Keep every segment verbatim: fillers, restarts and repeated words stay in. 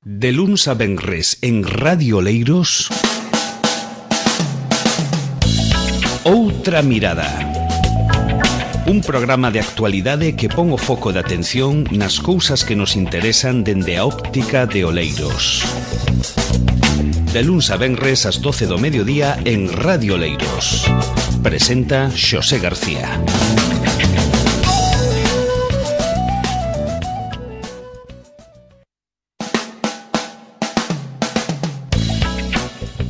De luns a venres en Radio Oleiros, Outra Mirada. Un programa de actualidade que pon o foco de atención nas cousas que nos interesan dende a óptica de Oleiros. De luns a venres ás doce do mediodía en Radio Oleiros. Presenta Xosé García.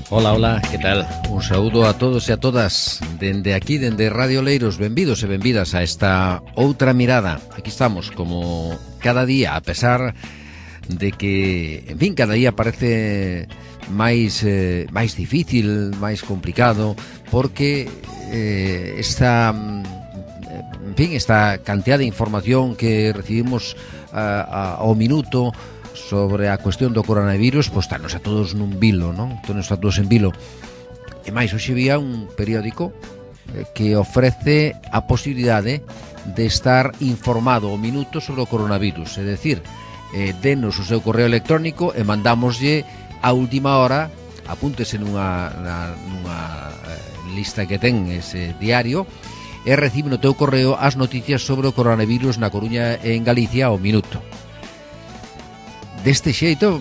Hola, hola, que tal? Un saúdo a todos e a todas dende aquí, dende Radio Oleiros. Benvidos e benvidas a esta Outra Mirada. Aquí estamos, como cada día, a pesar de que, en fin, cada día parece máis eh, máis difícil, máis complicado, porque eh, esta, en fin, esta cantidad de información que recibimos uh, ao minuto sobre a cuestión do coronavirus, pois estános a todos nun vilo, non? Estános a todos en vilo. E máis, hoxe vía un periódico que ofrece a posibilidade de estar informado ao minuto sobre o coronavirus, é dicir, eh, denos o seu correo electrónico e mandámoslle a última hora, apúntese nunha, na, nunha lista que ten ese diario, e recibe no teu correo as noticias sobre o coronavirus na Coruña e en Galicia ao minuto. Deste xeito,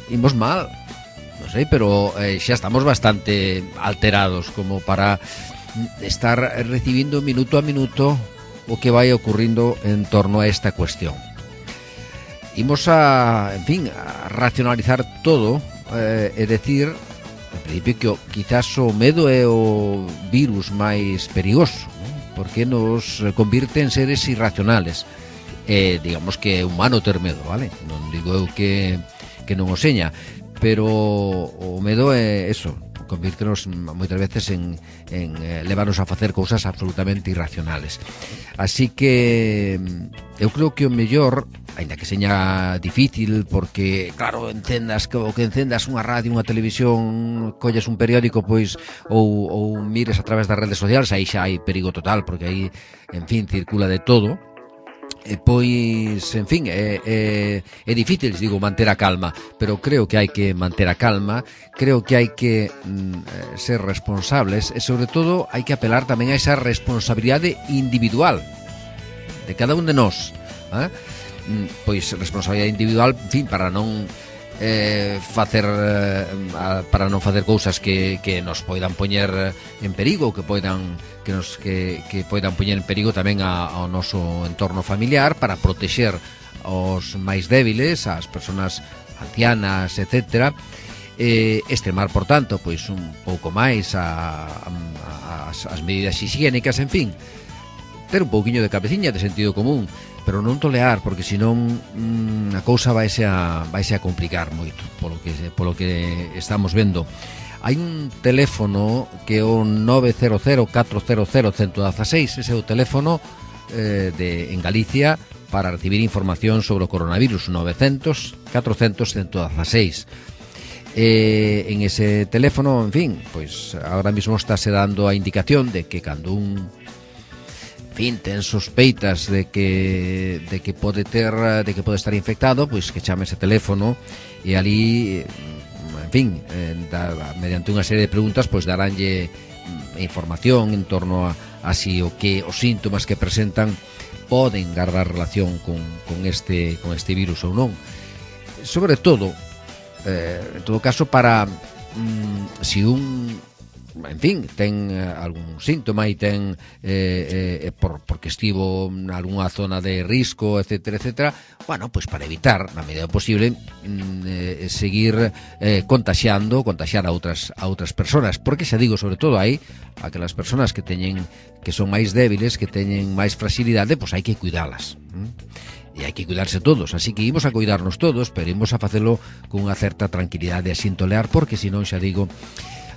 imos mal, non sei, pero eh, xa estamos bastante alterados como para estar recibindo minuto a minuto o que vai ocurrindo en torno a esta cuestión. Imos a, en fin, a racionalizar todo, eh, é dicir, en principio, que quizás o medo é o virus máis perigoso, non? Porque nos convirte en seres irracionales. Eh, digamos que é humano ter medo, vale? Non digo eu que, que non o seña, pero o medo é eso, convírtenos moitas veces en, en eh, levarnos a facer cousas absolutamente irracionales. Así que eu creo que o mellor, aínda que seña difícil, porque claro, encendas que, o que encendas unha radio, unha televisión, colles un periódico, pois ou, ou mires a través das redes sociais, aí xa hai perigo total, porque aí, en fin, circula de todo. E pois, en fin, é, é, é difícil, digo, manter a calma, pero creo que hai que manter a calma, creo que hai que mm, ser responsables e, sobre todo, hai que apelar tamén a esa responsabilidade individual de cada un de nós, eh? Pois responsabilidade individual, en fin, para non eh, facer eh, para non facer cousas que, que nos poidan poñer en perigo, que poidan que nos que, que poidan poñer en perigo tamén a, ao noso entorno familiar, para protexer os máis débiles, as persoas ancianas, etcétera. Eh, extremar, por tanto, pois un pouco máis a, a, as, as medidas higiénicas, en fin, ter un pouquiño de cabeciña, de sentido común, pero non tolear, porque senón mmm, a cousa vaise a, vaise a complicar moito, polo que, polo que estamos vendo. Hai un teléfono que é o nove cero cero, catro cero cero, uno uno seis, ese é o teléfono eh, de, en Galicia para recibir información sobre o coronavirus, nove cero cero, catro cero cero, uno uno seis. Eh, en ese teléfono, en fin, pois ahora mismo estáse dando a indicación de que cando un en fin, ten sospeitas de que de que pode ter de que pode estar infectado, pois que chame ese teléfono e ali, en fin, eh, da, mediante unha serie de preguntas, pois daránlle información en torno a, a si o que os síntomas que presentan poden guardar relación con, con este con este virus ou non. Sobre todo, eh, en todo caso, para mm, si un en fin, ten algún síntoma e ten eh, eh, por, porque estivo en algunha zona de risco, etcétera, etcétera, bueno, pois para evitar, na medida posible, mm, eh, seguir eh, contaxiando, contaxiar a outras a outras persoas, porque xa digo, sobre todo aí, aquelas persoas que teñen que son máis débiles, que teñen máis fragilidade, pois hai que cuidalas. ¿Mm? E hai que cuidarse todos, así que imos a cuidarnos todos, pero imos a facelo con unha certa tranquilidade, a sin tolear, porque senón, xa digo,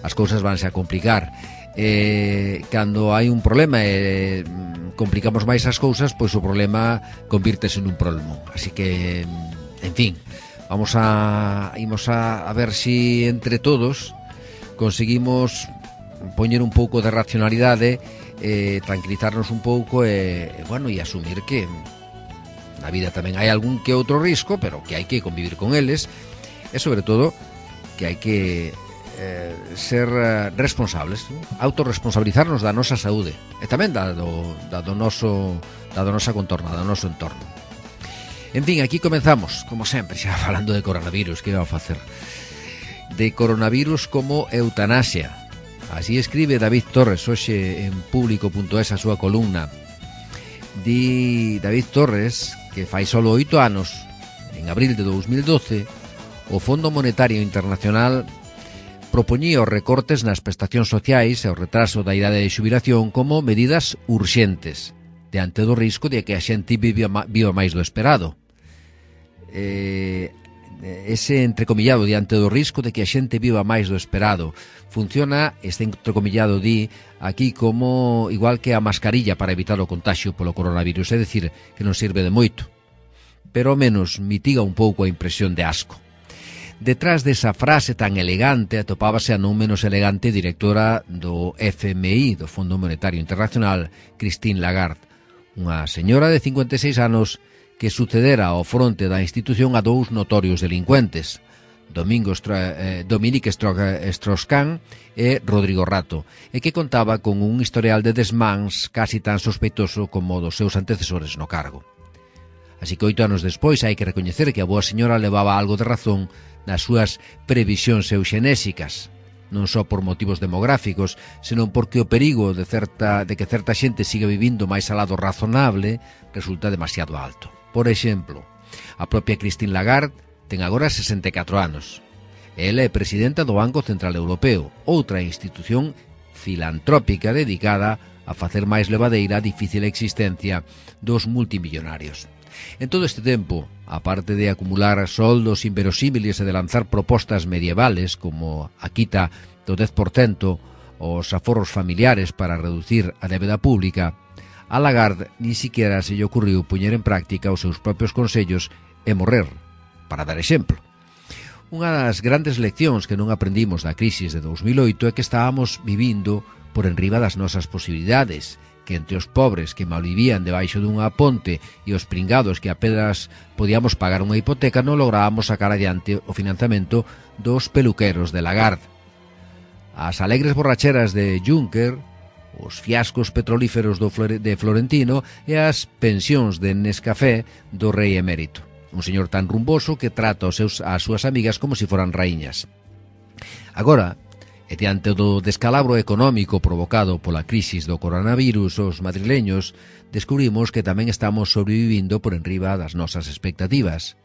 as cousas vanse a complicar. Eh, cando hai un problema e eh, complicamos máis as cousas, pois o problema convírtese nun problema. Así que, en fin, vamos a imos a, a ver si entre todos conseguimos poñer un pouco de racionalidade, eh, tranquilizarnos un pouco e, eh, bueno, e asumir que na vida tamén hai algún que outro risco, pero que hai que convivir con eles E sobre todo que hai que eh, ser eh, responsables, ¿no? Autorresponsabilizarnos da nosa saúde e tamén da do, da do noso da do nosa contorna, do noso entorno. En fin, aquí comenzamos, como sempre, xa falando de coronavirus. Que vamos a facer? De coronavirus como eutanasia. Así escribe David Torres hoxe en público punto es a súa columna. Di David Torres que fai solo oito anos, en abril de dos mil doce, o Fondo Monetario Internacional propoñía os recortes nas prestacións sociais e o retraso da idade de xubilación como medidas urxentes diante do risco de que a xente viva, viva máis do esperado. Eh, ese entrecomillado diante do risco de que a xente viva máis do esperado funciona, este entrecomillado di aquí como igual que a mascarilla para evitar o contagio polo coronavirus, é dicir, que non sirve de moito, pero ao menos mitiga un pouco a impresión de asco. Detrás desa frase tan elegante atopábase a non menos elegante directora do F M I, do Fondo Monetario Internacional, Christine Lagarde, unha señora de cincuenta e seis anos que sucedera ao fronte da institución a dous notorios delincuentes, Domingo Stra- eh, Dominique Strauss-Kahn e Rodrigo Rato, e que contaba con un historial de desmáns casi tan sospeitoso como dos seus antecesores no cargo. Así que oito anos despois hai que recoñecer que a boa señora levaba algo de razón nas súas previsións euxenésicas, non só por motivos demográficos, senón porque o perigo de, certa, de que certa xente siga vivindo máis alá do razonable resulta demasiado alto. Por exemplo, a propia Christine Lagarde ten agora sesenta e catro anos. Ela é presidenta do Banco Central Europeo, outra institución filantrópica dedicada a facer máis levadeira a difícil existencia dos multimillonarios. En todo este tempo, aparte de acumular soldos inverosímiles e de lanzar propostas medievales como a quita do dez por cento os aforros familiares para reducir a débeda pública, a Lagarde ni siquiera se lle ocurriu poñer en práctica os seus propios consellos e morrer, para dar exemplo. Unha das grandes leccións que non aprendimos da crisis de dos mil oito é que estábamos vivindo por enriba das nosas posibilidades, que entre os pobres que malvivían debaixo dunha ponte e os pringados que apenas podíamos pagar unha hipoteca non lográbamos sacar adiante o financiamento dos peluqueros de Lagarde. As alegres borracheras de Juncker, os fiascos petrolíferos do Flore, de Florentino e as pensións de Nescafé do rei emérito. Un señor tan rumboso que trata os seus, as súas amigas como se foran raíñas. Agora, e diante do descalabro económico provocado pola crisis do coronavirus, os madrileños descubrimos que tamén estamos sobrevivindo por enriba das nosas expectativas,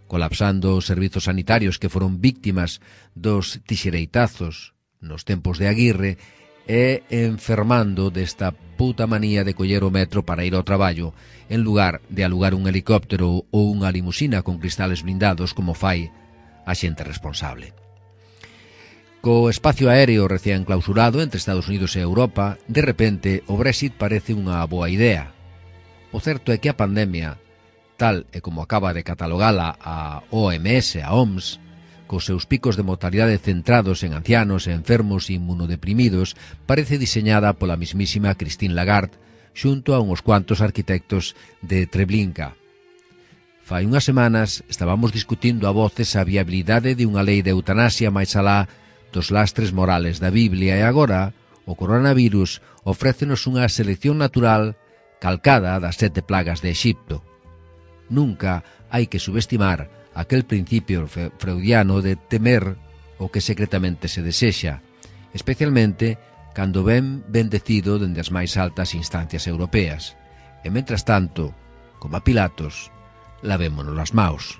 colapsando os servizos sanitarios que foron víctimas dos tixereitazos nos tempos de Aguirre e enfermando desta puta manía de coller o metro para ir ao traballo en lugar de alugar un helicóptero ou unha limusina con cristales blindados como fai a xente responsable. Co espacio aéreo recén clausurado entre Estados Unidos e Europa, de repente o Brexit parece unha boa idea. O certo é que a pandemia, tal e como acaba de catalogala a O M S, a O M S, cos seus picos de mortalidade centrados en ancianos e enfermos inmunodeprimidos, parece diseñada pola mismísima Christine Lagarde xunto a uns cuantos arquitectos de Treblinka. Fai unhas semanas estábamos discutindo a voces a viabilidade de unha lei de eutanasia máis alá dos lastres morales da Biblia, e agora o coronavirus ofrécenos unha selección natural calcada das sete plagas de Exipto. Nunca hai que subestimar aquel principio freudiano de temer o que secretamente se desexa, especialmente cando ven bendecido dende as máis altas instancias europeas. E mentras tanto, como a Pilatos, lavémonos as maus.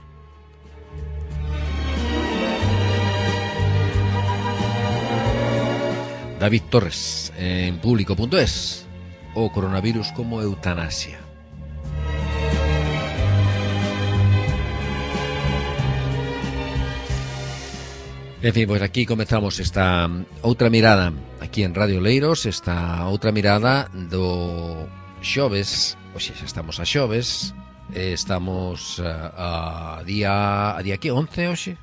David Torres, en público punto es, o coronavirus como eutanasia. En fin, pois aquí comezamos esta outra mirada aquí en Radio Leiros, esta outra mirada do xoves. Oxe, xa estamos a xoves, estamos a, a día a día que once hoxe?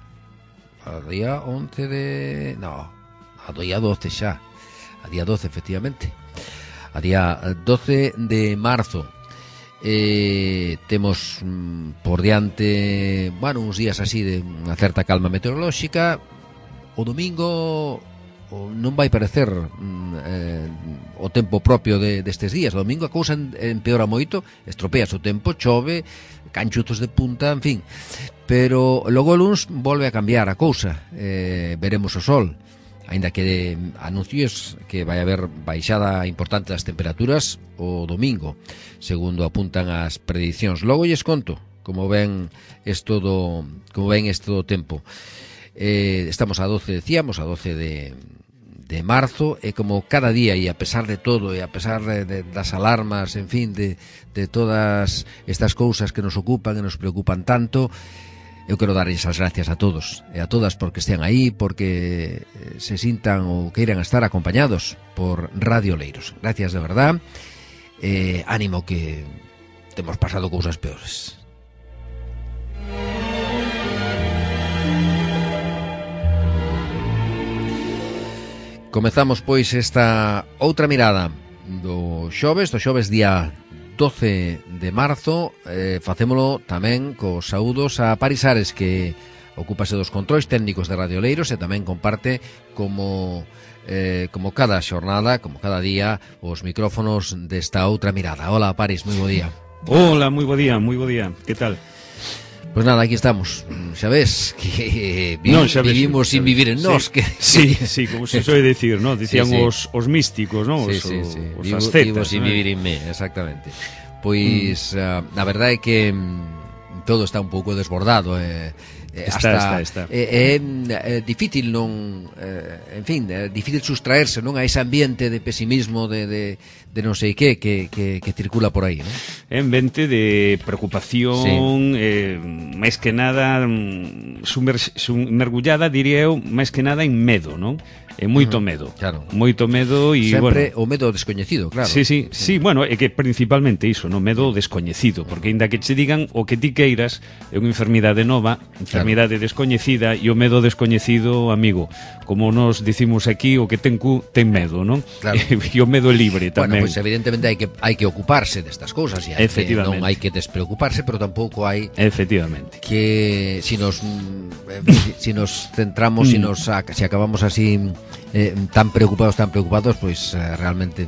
A día once de... no, a día doce xa. A día doce, efectivamente. A día doce de marzo. eh, temos mm, por diante, bueno, uns días así de unha certa calma meteorolóxica. O domingo o non vai parecer mm, eh, o tempo propio de, destes días. O domingo a cousa empeora moito, estropeas o tempo, chove, canchutos de punta, en fin. Pero logo o luns volve a cambiar a cousa, eh, veremos o sol, aínda que anuncios que vai haber baixada importante das temperaturas o domingo, segundo apuntan as predicións. Logo lles conto como ven isto do, como ven isto do tempo. Eh, estamos a doce, decíamos, a doce de, de marzo, e como cada día, e a pesar de todo, e a pesar de, de, das alarmas, en fin, de, de todas estas cousas que nos ocupan e nos preocupan tanto, eu quero darlles as gracias a todos e a todas porque estean aí, porque se sintan ou queiran estar acompañados por Radio Oleiros. Gracias de verdad. Eh, ánimo, que temos pasado cousas peores. Comezamos pois esta outra mirada do xoves, do xoves día doce de marzo. eh, Facémolo tamén cos saúdos a Paris Ares, que ocúpase dos controis técnicos de Radio Oleiros e tamén comparte como eh, como cada xornada, como cada día, os micrófonos desta outra mirada. Hola Paris, moi bo día. Hola, moi bo día, moi bo día. Que tal? Pois nada, aquí estamos. Xa ves que vi, no, xa ves, vivimos xa sin ves. vivir en nós. Sí, que... sí, sí, como se soe decir, ¿no? Dicían sí, sí. Os, os místicos, ¿no? Sí, Os, sí, sí. os Vivo, ascetas, vivo sin ¿no? vivir en mí, exactamente. Pois, mm. uh, a verdade é que mm, todo está un pouco desbordado, eh, eh, está, hasta, está, está. É, é, é difícil non, eh, en fin, é difícil sustraerse non a ese ambiente de pesimismo, de, de, de non sei que, que, que, que circula por aí, non? É ambiente de preocupación, sí. eh, máis que nada sumer, sum, mergullada, diría eu, máis que nada en medo, non? É moito uh-huh, medo, claro. Moito medo e, sempre bueno, o medo descoñecido, claro. Sí, sí, sí, sí, bueno, é que principalmente iso, no medo descoñecido, porque aínda que che digan o que ti queiras, é unha enfermidade nova, enfermidade claro. descoñecida, e o medo descoñecido, amigo, como nos dicimos aquí, o que ten cu ten medo, non? Claro. E o medo libre tamén. Bueno, pois pues evidentemente hai que hai que ocuparse destas cousas, e hai que, non hai que despreocuparse, pero tampouco hai Efectivamente. Que si nos eh, si nos centramos, si nos si acabamos así eh, tan preocupados, tan preocupados, pois pues, eh, realmente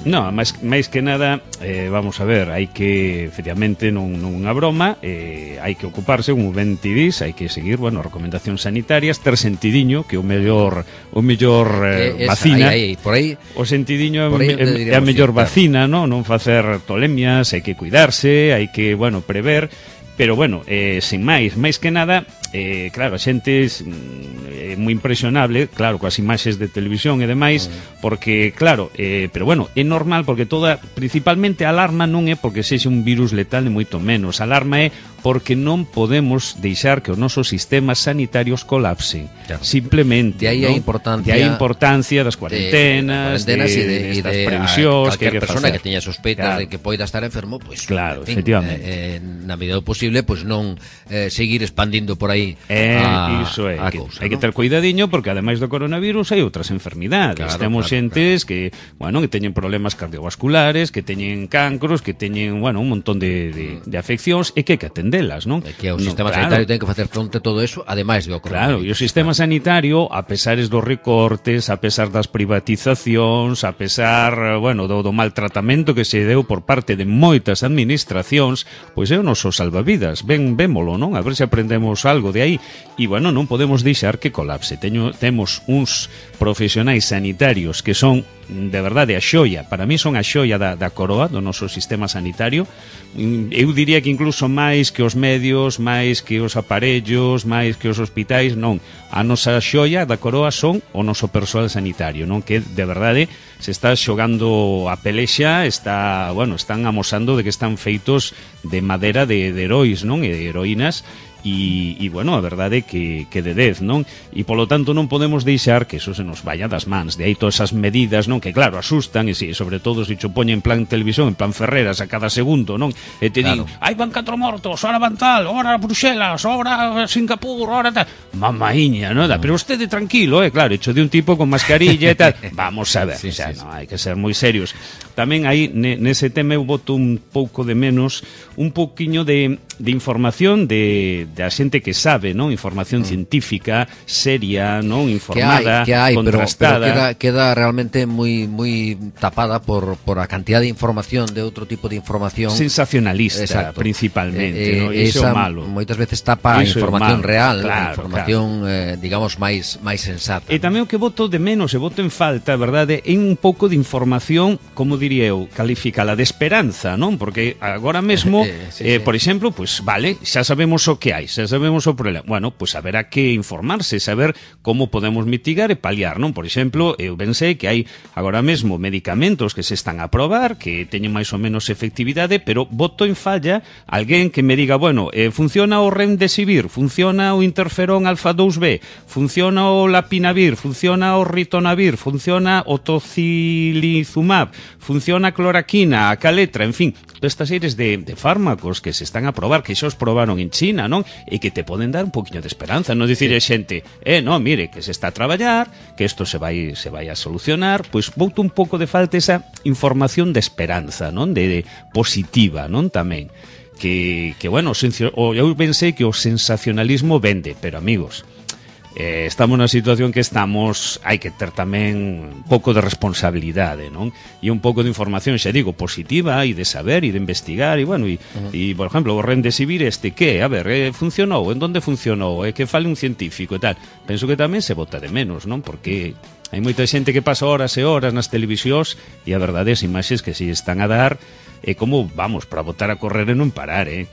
No, máis, máis que nada, eh, vamos a ver, hai que, efectivamente, non, non unha broma, eh, hai que ocuparse, como ben ti dis, hai que seguir, bueno, recomendacións sanitarias, ter sentidiño, que o mellor o mellor eh, esa, vacina, aí, aí, por aí, o sentidiño por aí é, é a mellor vacina, non? Non facer tolemias, hai que cuidarse, hai que, bueno, prever, pero, bueno, eh, sin máis, máis que nada, eh, claro, a xente é moi impresionable, claro, coas imaxes de televisión e demais, porque, claro, eh, pero bueno, é normal, porque toda, principalmente a alarma non é porque sexa un virus letal, ni moito menos, a alarma é porque non podemos deixar que os nosos sistemas sanitarios colapsen, claro. Simplemente, de aí ¿no? a importancia, de aí a importancia das cuarentenas, de, de, de, de, de estas de previsións, que, que persona facer. que teña sospeitas, claro, de que poida estar enfermo, pois, pues, claro, en fin, efectivamente, eh, eh, na medida do posible, pois pues, non eh, seguir expandindo por aí eh, a, iso é, a que, cousa, hai ¿no? que ter cuidadiño, porque ademais do coronavirus hai outras enfermidades, claro, temos claro, xentes claro. que, bueno, que teñen problemas cardiovasculares, que teñen cancros, que teñen, bueno, un montón de, de, de afeccións, e que hai que atendelas, non? É que o no, sistema claro. sanitario ten que facer fronte a todo eso, ademais do coronavirus. Claro, e o sistema sanitario, a pesares dos recortes, a pesar das privatizacións, a pesar, bueno, do, do maltratamento que se deu por parte de moitas administracións, pois é o noso salvavidas. Ben, vémolo, non? A ver se aprendemos algo de aí. E, bueno, non podemos deixar que colapse. Teño, temos uns profesionais sanitarios que son, de verdade, a xoia. Para mí son a xoia da, da coroa do noso sistema sanitario. Eu diría que incluso máis que os medios, máis que os aparellos, máis que os hospitais, non. A nosa xoia da coroa son o noso persoal sanitario, non? Que, de verdade, se está xogando a pelexa, está, bueno, están amosando de que están feitos de madera de, de heróis, non? E de heroínas. e, e bueno, a verdade é que, que de dez, non? E polo tanto non podemos deixar que eso se nos vaya das mans, de aí todas esas medidas, non? Que claro, asustan, e si, sobre todo se cho poñen en plan televisión, en plan Ferreras a cada segundo, non? E te claro. Din, hai van catro mortos, ora van tal, ora Bruxelas, ora Singapur, ora tal, mamaíña, non? Mm. Pero usted tranquilo, eh, claro, hecho de un tipo con mascarilla e tal, vamos a ver, sí, o sea, sí, no, hai que ser moi serios. Tamén aí, ne, nese tema eu boto un pouco de menos, un pouquiño de, de información de, de a xente que sabe, non? Información mm. científica, seria, non? Informada, que hai, que hai, contrastada. Pero, pero queda, queda realmente moi moi tapada por, por a cantidad de información, de outro tipo de información. Sensacionalista, exacto. Principalmente, eh, eh, non? Iso é malo. Moitas veces tapa a información real, claro, a información, claro. eh, digamos, máis máis sensata. E tamén o que voto de menos, e voto en falta, verdade, é un pouco de información, como diría eu, calificala de esperanza, non? Porque agora mesmo, eh, sí, eh, sí. por exemplo, pues vale, xa sabemos o que hai, xa sabemos o problema. Bueno, pues haberá que informarse, saber como podemos mitigar e paliar, non? Por exemplo, eu pensei que hai agora mesmo medicamentos que se están a probar, que teñen máis ou menos efectividade, pero voto en falla alguén que me diga, bueno, eh, funciona o Remdesivir, funciona o interferón alfa dous B, funciona o Lapinavir, funciona o Ritonavir, funciona o Tocilizumab, funciona a cloraquina, a caletra, en fin, todas estas series de, de fármacos que se están a probar, que xa os probaron en China, non? E que te poden dar un poquinho de esperanza, non dicir a xente, eh, non, mire, que se está a traballar, que isto se vai se vai a solucionar, pois boto un pouco de falta esa información de esperanza, non? De, de positiva, non? Tamén. Que, que bueno, eu pensei que o sensacionalismo vende, pero amigos, eh, estamos na situación que estamos, hai que ter tamén un pouco de responsabilidade, non? E un pouco de información, xa digo, positiva, e de saber, e de investigar, e bueno, e, uh -huh. e por exemplo, o Remdesivir este, que? A ver, eh, funcionou? En donde funcionou? Eh, que fale un científico e tal? Penso que tamén se bota de menos, non? Porque hai moita xente que pasa horas e horas nas televisións e a verdade, as imaxes que se están a dar é como, vamos, para botar a correr e non parar, eh?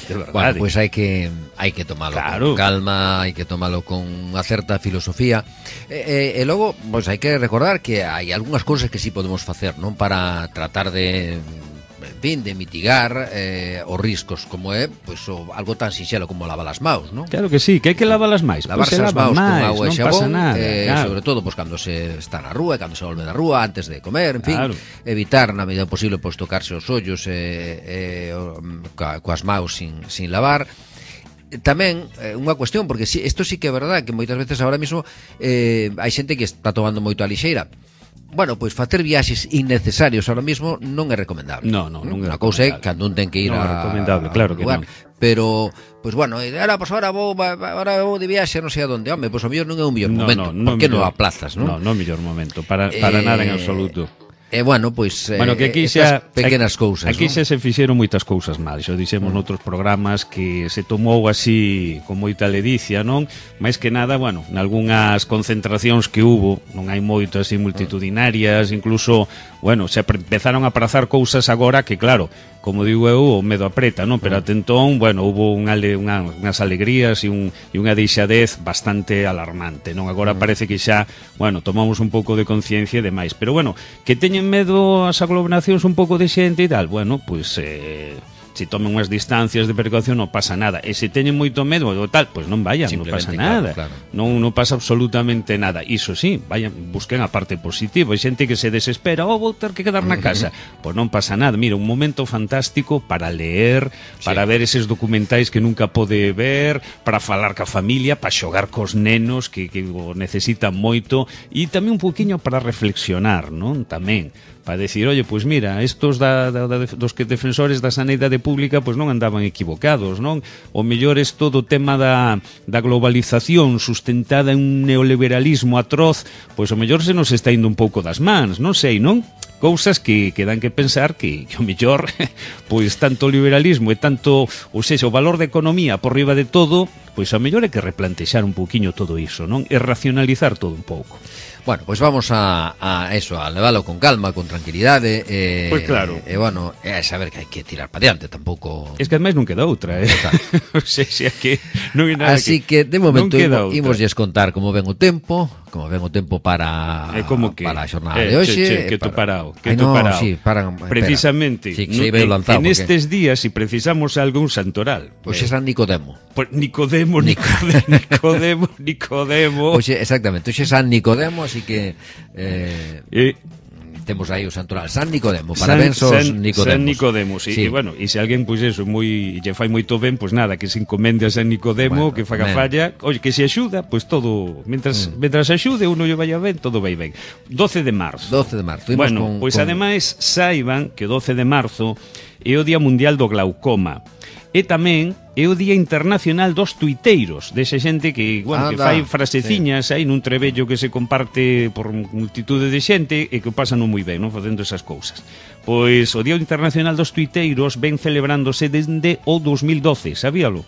De verdade. Bueno, pois pues hai que hai que tomalo claro. con calma, hai que tomalo con unha certa filosofía. E, e, e logo, pois pues, hai que recordar que hai algunhas cousas que sí podemos facer, non? Para tratar de, en fin, de mitigar eh, os riscos, como é, pois, pues, o, algo tan sinxelo como lavar as maus, non? Claro que sí, que hai que lavar as máis. Lavarse pues as maus con agua e xabón, nada, eh, claro. sobre todo, pois, pues, cando se está na rúa, cando se volve da rúa, antes de comer, en fin, claro. Evitar na medida posible, pois, pues, tocarse os ollos e eh, eh, coas maus sin, sin lavar. Tamén eh, unha cuestión, porque si, isto sí que é verdade, que moitas veces agora mesmo eh, hai xente que está tomando moito a lixeira. Bueno, pois facer viaxes innecesarios ahora mismo non é recomendable. No, no, non é recomendable. Unha cousa é cando un ten que ir non a recomendable, claro que lugar, non. Pero, pois bueno, ahora pois ahora vou ahora vou de viaxe, non sei a onde, home, pois o mellor non é un mellor no, momento. No, no, por que non aplazas, non? No, non é o mellor momento, para para eh... nada en absoluto. E eh, bueno, pois bueno, que aquí xa, aquí, pequenas cousas, aquí ¿no? xa se fixeron moitas cousas mal, xa dixemos mm. noutros programas que se tomou así con moita ledicia, non? Mais que nada, bueno, nalgúnas concentracións que hubo, non hai moito así multitudinarias, incluso, bueno, se empezaron a prazar cousas agora que claro, como digo eu, o medo apreta, non? Pero até entón, bueno, hubo unha, unha, unhas alegrías e, un, e unha deixadez bastante alarmante, non? Agora parece que xa, bueno, tomamos un pouco de conciencia e demais, pero bueno, que teñen medo as aglomeracións un pouco de xente e tal, bueno, pois eh, se tomen unhas distancias de precaución non pasa nada, e se teñen moito medo ou tal, pois non vayan, non pasa nada, claro, claro. Non, non pasa absolutamente nada. Iso sí, vayan, busquen a parte positiva. Hai xente que se desespera, oh, vou ter que quedar na casa, pois non pasa nada. Mira, un momento fantástico para leer, para sí. ver eses documentais que nunca pode ver, para falar ca familia, para xogar cos nenos que, que o necesitan moito, e tamén un poquinho para reflexionar, non? Tamén para decir, oye, pois pues mira, estos da, da, da, dos que defensores da sanidade pública pois pues non andaban equivocados, non? O mellor é todo o tema da, da globalización sustentada en un neoliberalismo atroz, pois pues o mellor se nos está indo un pouco das mans, non sei, non? Cousas que, que dan que pensar que, que o mellor, pois tanto liberalismo e tanto, ou seja, o valor da economía por riba de todo, pois a mellor é que replantexar un pouquiño todo iso, non? E racionalizar todo un pouco. Bueno, pois pues vamos a, a eso, a leválo con calma, con tranquilidade, e, pois claro. E, e bueno, é saber que hai que tirar para diante, tampouco. Es que ademais non queda outra, eh. O sea, xa que non hai nada. Así que, que de momento imos, imos contar como ven o tempo, como ven o tempo para eh, como que, para a xornada eh, de hoxe. Che, che, que para... tú parado, que Ay, tú no, parado. Sí, paran, precisamente, sí, no, en, lanzado, en estes días, si precisamos algún santoral. Pois pues eh, é San Nicodemo. Pues Nicodemo, Nicodemo, Nicodemo, Nicodemo. Pois pues, exactamente, hoxe é San Nicodemo, así que eh, eh temos aí o santoral San Nicodemo, parabéns aos Nicodemos. San Nicodemo, sí. sí. E bueno, e se alguén pois pues eso, moi lle fai moito ben, pois pues nada, que se encomende a San Nicodemo, bueno, que faga ben. Falla, oye, que se axuda, pois pues todo, mentras mm. mentras axude, uno lle vaya ben, todo vai ben. doce de marzo. doce de marzo. Bueno, pois pues con... ademais saiban que doce de marzo é o Día Mundial do Glaucoma. E tamén é o Día Internacional dos Tuiteiros, desa xente que, bueno, que fai fraseciñas sí. aí nun trebello que se comparte por multitude de xente e que o pasan moi ben, non, facendo esas cousas. Pois o Día Internacional dos Tuiteiros ven celebrándose desde o dos mil doce, sabíalo?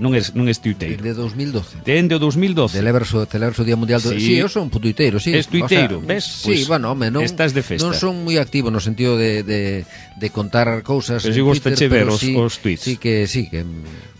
Non é, non é tuiteiro. Desde dos mil doce. Desde o dos mil doce. Celebrarse o Día Mundial do... Sí, sí, eu son un tuiteiro, sí. Es tuiteiro, o sea, ves? Sí, pues, bueno, home, non, estás de festa. Non son moi activo no sentido de, de, de contar cousas. Pero si gusta che ver os, sí, os tweets. Sí que, sí que...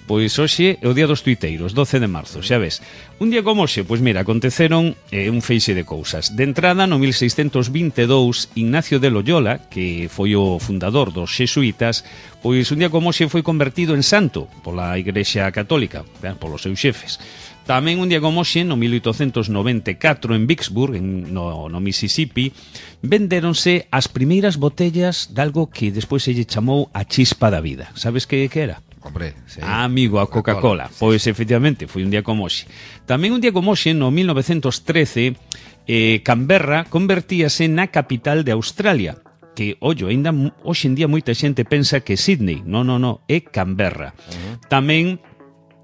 Pois hoxe é o Día dos Tuiteiros, doce de marzo, xa ves. Un día como hoxe, pois mira, aconteceron eh, un feixe de cousas. De entrada, no mil seiscentos vinte e dous, Ignacio de Loyola, que foi o fundador dos xesuítas, pois un día como hoxe foi convertido en santo pola Igrexa Católica, ben, polos seus xefes. Tamén un día como hoxe, no mil oitocentos noventa e catro, en Vicksburg, en, no, no Mississippi, vendéronse as primeiras botellas de algo que despois se lle chamou a chispa da vida. Sabes que, que era? Hombre, sí. Ah, amigo, a Coca-Cola. Coca pois, sí. Efectivamente, foi un día como hoxe. Tamén un día como hoxe, no mil novecentos trece, eh, Canberra convertíase na capital de Australia. Que, ollo, ainda hoxe en día moita xente pensa que Sydney. Non, non, non, é Canberra. Uh-huh. Tamén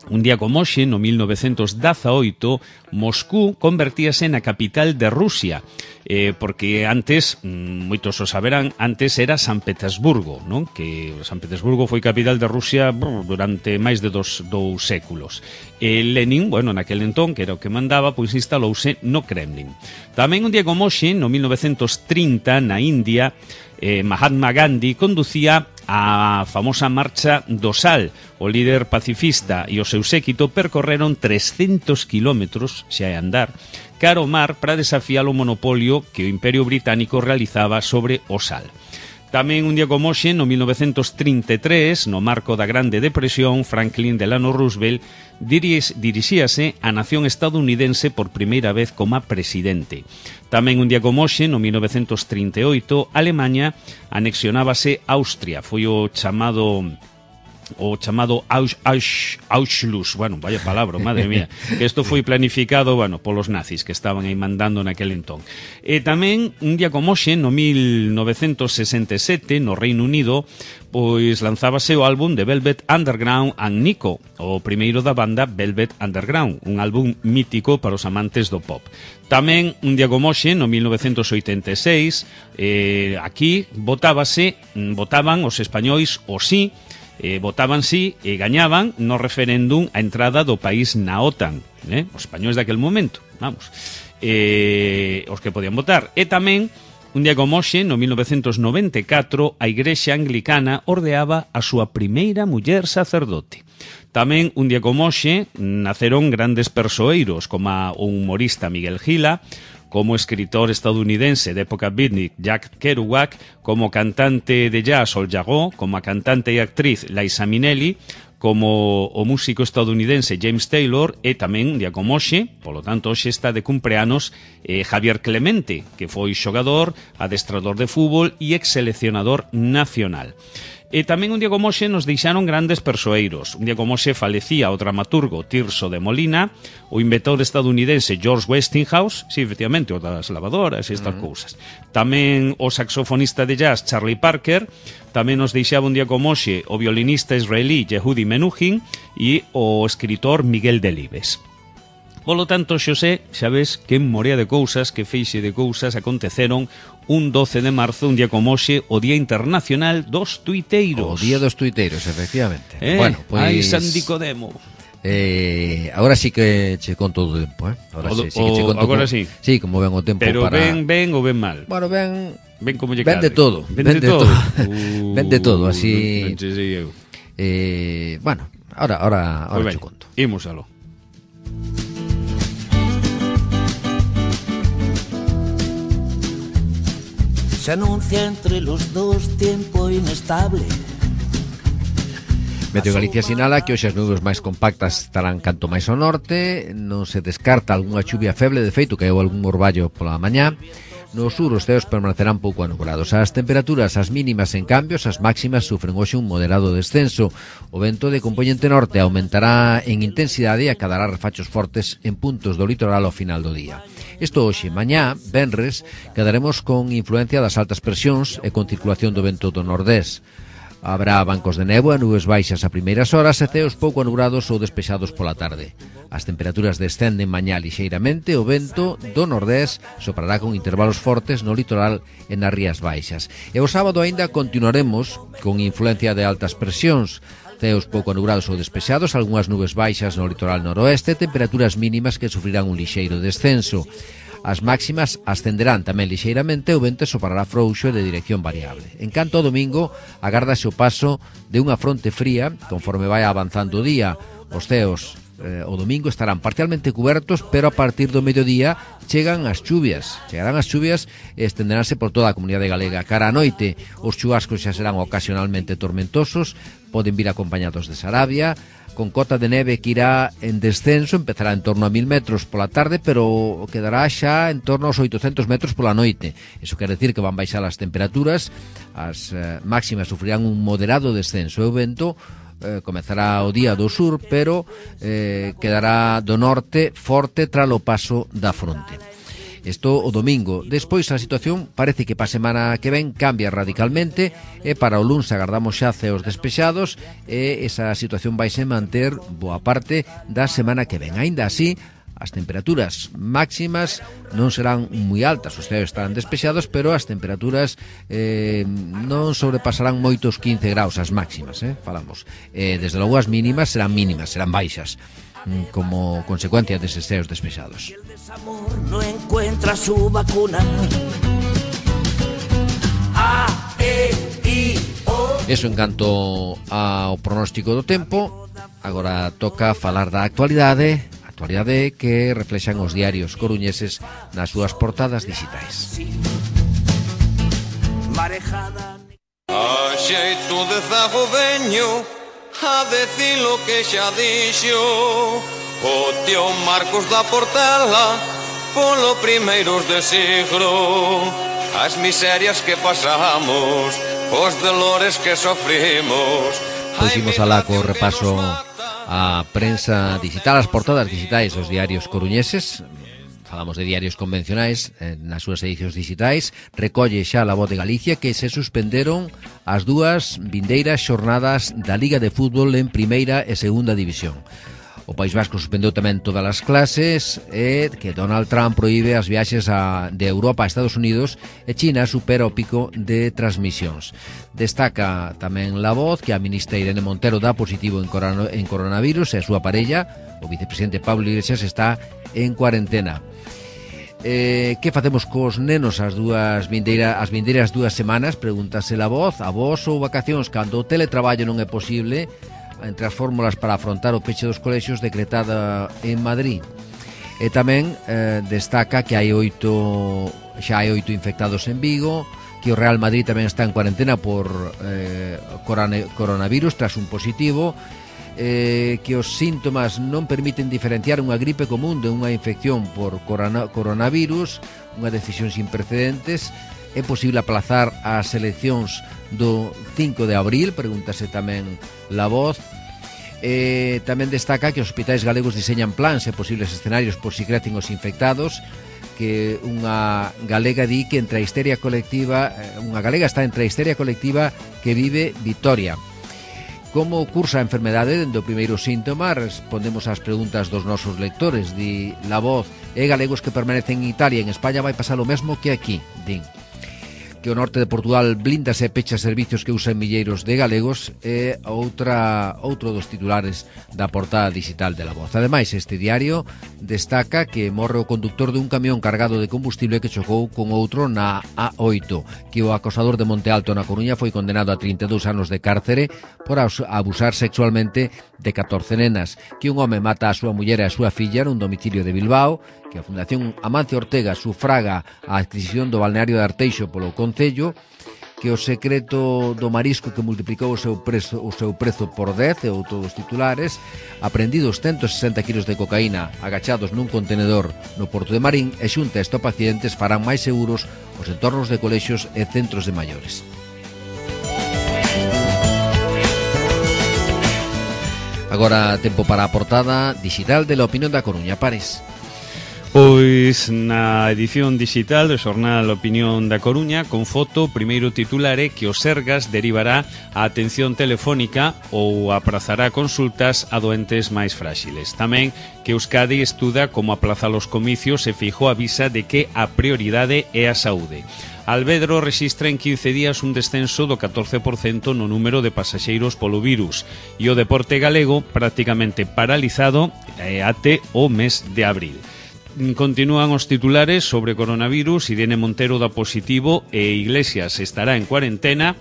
un día como hoxe, no mil novecentos dezaoito, Moscú convertíase na capital de Rusia, eh, porque antes, moitos o saberán, antes era San Petersburgo, non? Que San Petersburgo foi capital de Rusia brr, durante máis de dos, dous séculos. E Lenin, bueno, naquel entón, que era o que mandaba, pois instalouse no Kremlin. Tamén un día como hoxe, no mil novecentos trinta, na India, eh, Mahatma Gandhi conducía a famosa marcha do Sal. O líder pacifista e o seu séquito percorreron trescentos kilómetros, xa é andar, cara ao mar para desafiar o monopolio que o Imperio Británico realizaba sobre o sal. Tamén un día como hoxe, no mil novecentos trinta e tres, no marco da Grande Depresión, Franklin Delano Roosevelt dirixíase á nación estadounidense por primeira vez como presidente. Tamén un día como hoxe, no mil novecentos trinta e oito, Alemanha anexionábase Austria. Foi o chamado... o chamado Aus, Aus, Auschluss, bueno, vaya palabra, madre mía, que isto foi planificado, bueno, polos nazis que estaban aí mandando naquel entón. E tamén, un día como hoxe, no mil novecentos sesenta e sete, no Reino Unido, pois lanzábase o álbum de Velvet Underground and Nico, o primeiro da banda Velvet Underground, un álbum mítico para os amantes do pop. Tamén, un día como hoxe, no mil novecentos oitenta e seis, eh, aquí votábase, votaban os españois o sí, Eh, votaban sí e gañaban no referéndum a entrada do país na OTAN, eh? Os españois daquel momento, vamos, eh, os que podían votar. E tamén, un día como hoxe, no mil novecentos noventa e catro, a Igrexa Anglicana ordeaba a súa primeira muller sacerdote. Tamén, un día como hoxe, naceron grandes persoeiros, como o humorista Miguel Gila, como escritor estadounidense de época beatnik Jack Kerouac, como cantante de jazz Sol Jarreau, como a cantante e actriz Liza Minnelli, como o músico estadounidense James Taylor, e tamén, un día como hoxe, polo tanto hoxe está de cumpleanos eh, Javier Clemente, que foi xogador, adestrador de fútbol e ex-seleccionador nacional. E tamén un día como hoxe nos deixaron grandes persoeiros. Un día como hoxe falecía o dramaturgo Tirso de Molina, o inventor estadounidense George Westinghouse, sí, efectivamente, o das lavadoras e estas uh-huh. cousas. Tamén o saxofonista de jazz Charlie Parker, tamén nos deixaba un día como hoxe o violinista israelí Yehudi Menuhin e o escritor Miguel Delibes. Polo tanto, Xosé, xa ves que morea de cousas, que feixe de cousas aconteceron un doce de marzo, un día como hoxe, o Día Internacional dos Tuiteiros. O Día dos Tuiteiros, efectivamente. Eh, bueno, pois... Ai, San Nicodemo. Eh, agora sí que che conto o tempo, eh? Agora O, sí, sí que che conto. agora como, sí. Sí, como ven o tempo Pero para... ben, ben ou ben mal? Bueno, ben... Ben como lle Ben de cadre. todo. Ben, Ben de, de todo. todo. Uh, Ben de todo, así... Non che sei eu. Eh, bueno, ahora, ahora, ahora Pois che ben, conto. imos aló. Se anuncia entre los dos tiempo inestable. Meteo Galicia sinala que hoxe as nubes máis compactas estarán canto máis ao norte, non se descarta algunha chuvia feble, de feito que hai algún orballo pola mañá. No sur os ceos permanecerán pouco anubrados. As temperaturas, as mínimas en cambios, as máximas sufren hoxe un moderado descenso. O vento de compoñente norte aumentará en intensidade e acadará refachos fortes en puntos do litoral ao final do día. Isto hoxe, mañá, venres, quedaremos con influencia das altas presións e con circulación do vento do nordés. Habrá bancos de néboa, nubes baixas a primeiras horas e ceos pouco anubrados ou despexados pola tarde. As temperaturas descenden mañá lixeiramente, o vento do nordés soprará con intervalos fortes no litoral e nas rías baixas. E o sábado aínda continuaremos con influencia de altas presións, ceos pouco anubrados ou despexados, algunhas nubes baixas no litoral noroeste, temperaturas mínimas que sufrirán un lixeiro descenso. As máximas ascenderán tamén lixeiramente, o vento soprará frouxo e de dirección variable. En canto ao domingo, agárdase o paso de unha fronte fría conforme vai avanzando o día. Os ceos eh, o domingo estarán parcialmente cubertos, pero a partir do mediodía chegan as chuvias. Chegarán as chuvias e estenderánse por toda a comunidade galega. Cara a noite, os chubascos xa serán ocasionalmente tormentosos, poden vir acompañados de sarabia, con cota de neve que irá en descenso, empezará en torno a mil metros pola tarde, pero quedará xa en torno aos oitocentos metros pola noite. Iso quer decir que van baixar as temperaturas, as eh, máximas sufrirán un moderado descenso e o vento eh, comezará o día do sur, pero eh, quedará do norte forte tras o paso da fronte. Isto o domingo. Despois a situación parece que para a semana que ven cambia radicalmente e para o luns agardamos xa ceos despexados e esa situación vai se manter boa parte da semana que ven. Aínda así, as temperaturas máximas non serán moi altas, os ceos estarán despexados, pero as temperaturas eh, non sobrepasarán moitos quince graus as máximas, eh, falamos. Eh, desde logo as mínimas serán mínimas, serán baixas, como consecuencia deses ceos despexados. Amor no encuentra su vacuna. A, E, I, O. Eso en canto ao pronóstico do tempo. Agora toca falar da actualidade, actualidade que reflexan os diarios coruñeses nas súas portadas digitais. Marejada. A xeito de zago veño a decir lo que xa dixo o tío Marcos da Portela polo primeiros de siglo. As miserias que pasamos, os dolores que sofrimos. Pois imos alá co repaso a prensa digital, as portadas digitais dos diarios coruñeses. Falamos de diarios convencionais eh, nas súas edicións digitais. Recolle xa a Voz de Galicia que se suspenderon as dúas vindeiras xornadas da Liga de Fútbol en Primeira e Segunda División. O País Vasco suspendeu tamén todas as clases e que Donald Trump proíbe as viaxes a, de Europa a Estados Unidos e China supera o pico de transmisións. Destaca tamén La Voz que a ministra Irene Montero dá positivo en, corona, en coronavirus e a súa parella, o vicepresidente Pablo Iglesias, está en cuarentena. Eh, que facemos cos nenos as dúas vindeira, as vindeiras dúas semanas? Pregúntase La Voz. A vos ou vacacións cando o teletraballo non é posible, entre as fórmulas para afrontar o peche dos colexios decretada en Madrid. E tamén eh, destaca que hai oito xa hai oito infectados en Vigo, que o Real Madrid tamén está en cuarentena por eh, coronavirus tras un positivo, eh, que os síntomas non permiten diferenciar unha gripe común de unha infección por corona, coronavirus, unha decisión sin precedentes. É posible aplazar as eleccións do cinco de abril, pregúntase tamén La Voz. Eh, tamén destaca que os hospitais galegos diseñan plans e posibles escenarios por si crecen os infectados, que unha galega di que entre a histeria colectiva, unha galega está entre a histeria colectiva que vive Vitoria. Como cursa a enfermedade dende o primeiro síntoma? Respondemos ás preguntas dos nosos lectores. Di La Voz, e galegos que permanecen en Italia e en España vai pasar o mesmo que aquí, din. que o norte de Portugal blindase e pecha servicios que usan milleiros de galegos é outra outro dos titulares da portada digital de La Voz. Ademais, este diario destaca que morre o conductor de un camión cargado de combustible que chocou con outro na A oito, que o acosador de Monte Alto na Coruña foi condenado a trinta e dous anos de cárcere por abusar sexualmente de catorce nenas, que un home mata a súa muller e a súa filla nun domicilio de Bilbao, que a Fundación Amancio Ortega sufraga a adquisición do balneario de Arteixo polo Concello, que o secreto do marisco que multiplicou o seu prezo, o seu prezo por dez, e outros dos titulares, aprendidos ciento sesenta kilos de cocaína agachados nun contenedor no Porto de Marín, e xunta estupefacientes farán máis seguros os entornos de colexios e centros de maiores. Agora tempo para a portada digital de La Opinión da Coruña. Pares. Pois na edición digital do xornal Opinión da Coruña, con foto, primeiro titular é que o Sergas derivará a atención telefónica ou aprazará consultas a doentes máis fráxiles. Tamén que Euskadi estuda como aplazar os comicios e Feijóo avisa de que a prioridade é a saúde. Alvedro rexistra en quince días un descenso do catorce por cento no número de pasaxeiros polo virus e o deporte galego prácticamente paralizado até o mes de abril. Continúan os titulares sobre coronavirus. Irene Montero dá positivo e Iglesias estará en cuarentena.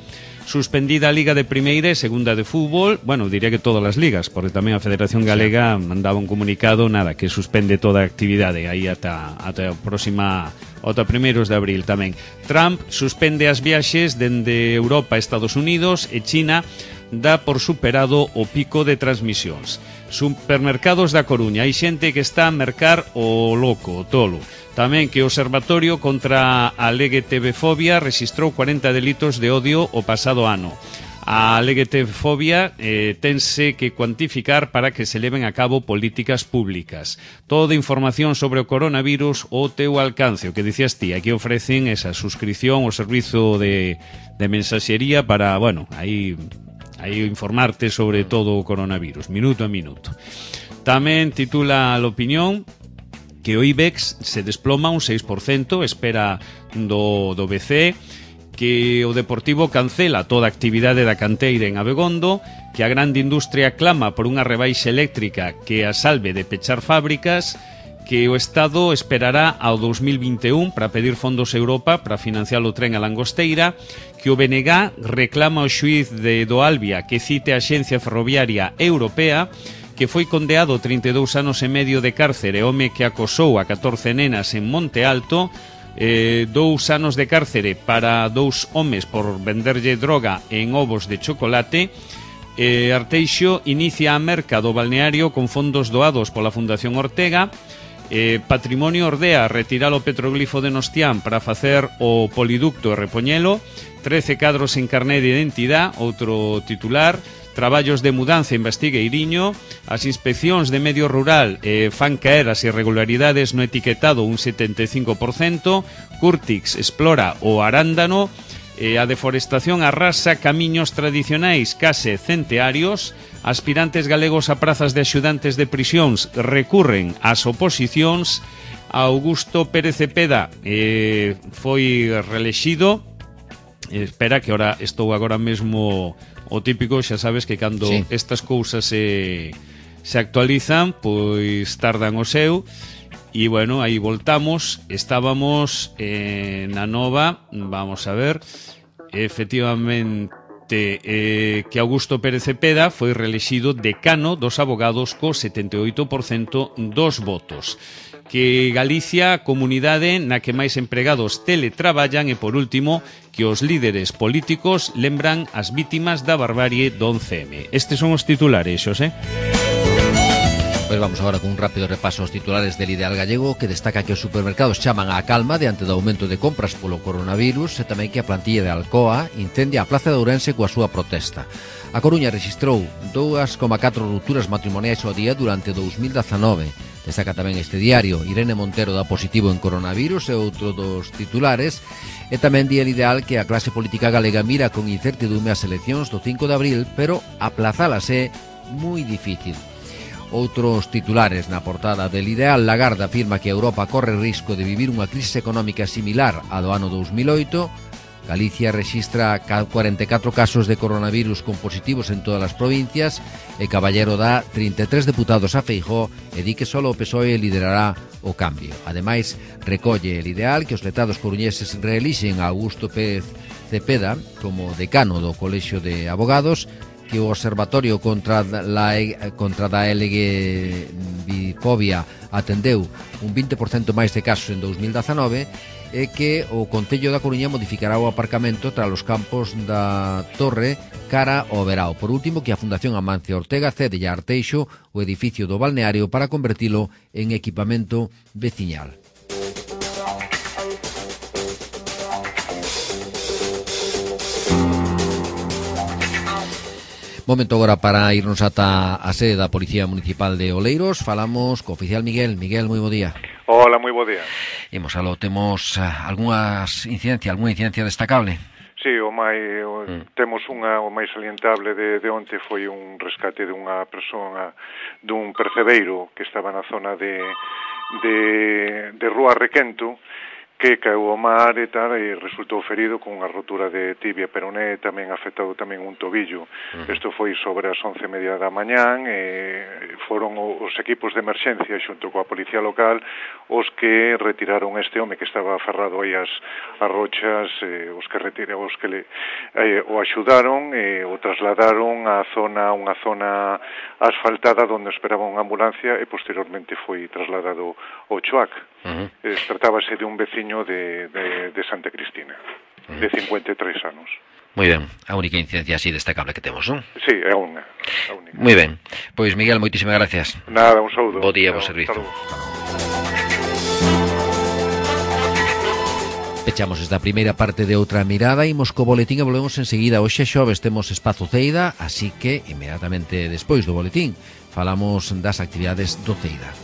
Suspendida a Liga de Primeira e Segunda de Fútbol. Bueno, diría que todas as ligas, porque tamén a Federación Galega mandaba un comunicado, nada, que suspende toda a actividade aí ata, ata a próxima, ata primeiros de abril tamén. Trump suspende as viaxes dende Europa a Estados Unidos e China dá por superado o pico de transmisións. Supermercados da Coruña, hai xente que está a mercar o loco, o tolo. Tamén que o Observatorio contra a LGTB-fobia rexistrou cuarenta delitos de odio o pasado ano. A LGTB-fobia eh, tense que cuantificar para que se leven a cabo políticas públicas. Toda información sobre o coronavirus ao teu alcance, o que dicías ti, aquí ofrecen esa suscripción ao servizo de, de mensaxería para, bueno, aí... aí informarte sobre todo o coronavirus, minuto a minuto. Tamén titula a L'Opinión que o IBEX se desploma un seis por cento, espera do, do B C, que o Deportivo cancela toda a actividade da canteira en Abegondo, que a grande industria clama por unha rebaixa eléctrica que a salve de pechar fábricas, que o Estado esperará ao dos mil vinte e un para pedir fondos a Europa para financiar o tren a Langosteira, que o B N G reclama ao xuíz de do Albia que cite a Axencia Ferroviaria Europea, que foi condeado trinta e dous anos e medio de cárcere, home que acosou a catorce nenas en Monte Alto, eh, dous anos de cárcere para dous homes por venderlle droga en ovos de chocolate. eh, Arteixo inicia a merca do balneario con fondos doados pola Fundación Ortega. Eh, Patrimonio ordea retirar o petroglifo de Nostián para facer o poliducto e repoñelo. trece cadros en carné de identidade, outro titular. Traballos de mudanza investiga Iriño. As inspeccións de medio rural eh, fan caer as irregularidades no etiquetado un setenta e cinco por cento. Curtix explora o arándano. eh, A deforestación arrasa camiños tradicionais case centearios. Aspirantes galegos a prazas de axudantes de prisións recurren ás oposicións. Augusto Pérez Cepeda eh, foi reelexido. Espera que ahora estou agora mesmo o típico, xa sabes que cando sí. estas cousas se, se actualizan, pois tardan o seu. E bueno, aí voltamos. Estábamos eh, na nova, vamos a ver, efectivamente eh, que Augusto Pérez Cepeda foi reelexido decano dos abogados co setenta e oito por cento dos votos. Que Galicia, comunidade na que máis empregados teletraballan, e por último, que os líderes políticos lembran as vítimas da barbarie do once eme. Estes son os titulares, Xosé. Pois vamos agora con un rápido repaso aos titulares del Ideal Gallego, que destaca que os supermercados chaman á calma diante do aumento de compras polo coronavirus, e tamén que a plantilla de Alcoa incendia a Plaza de Ourense coa súa protesta. A Coruña rexistrou dous coma catro rupturas matrimoniais ao día durante dous mil dezanove. Destaca tamén este diario. Irene Montero dá positivo en coronavirus, e outro dos titulares. E tamén di el Ideal que a clase política galega mira con incertidume as eleccións do cinco de abril, pero aplazalas é moi difícil. Outros titulares na portada del Ideal. Lagarde afirma que Europa corre risco de vivir unha crise económica similar á do ano dous mil oito. Galicia rexistra cuarenta e catro casos de coronavirus con positivos en todas as provincias e Caballero dá trinta e tres deputados a Feijóo e di que só o P S O E liderará o cambio. Ademais, recolle el ideal que os letrados coruñeses reelixen a Augusto Pérez Cepeda como decano do Colexio de Abogados, que o Observatorio contra la contra da L G B Fobia atendeu un vinte por cento máis de casos en dous mil dezanove e que o Concello da Coruña modificará o aparcamento tras os campos da Torre cara ao verao. Por último, que a Fundación Amancio Ortega cede a Arteixo o edificio do balneario para convertilo en equipamento veciñal. Momento agora para irnos ata a sede da Policía Municipal de Oleiros. Falamos co oficial Miguel. Miguel, moi bo día. Hola, moi bo día. Imos aló, temos algunhas incidencias, algunha incidencia destacable? Sí, o máis o, mm. temos unha o máis salientable de, de onte foi un rescate dunha persoa dun percebeiro que estaba na zona de de, de Rúa Requento, que caeu ao mar e tal, e resultou ferido con unha rotura de tibia peroné, tamén afectado tamén un tobillo. Isto uh-huh. foi sobre as once e media da mañán, e foron os equipos de emerxencia xunto coa policía local os que retiraron este home que estaba aferrado aí as, as rochas, eh, os que retiraron, os que le, eh, o axudaron e o trasladaron á zona, unha zona asfaltada onde esperaba unha ambulancia e posteriormente foi trasladado ao Choac. Uh-huh. Eh, tratábase de un veciño De, de, de Santa Cristina, de cincuenta e tres anos. Moi ben, a única incidencia así destacable que temos, non? Sí, é unha. Moi ben, pois Miguel, moitísimas gracias. Nada, un saúdo. Bo día, bo servizo. Pechamos esta primeira parte de Outra Mirada, imos co boletín e volvemos enseguida. Hoxe xoves temos Espazo Ceida, así que inmediatamente despois do boletín falamos das actividades do Ceida.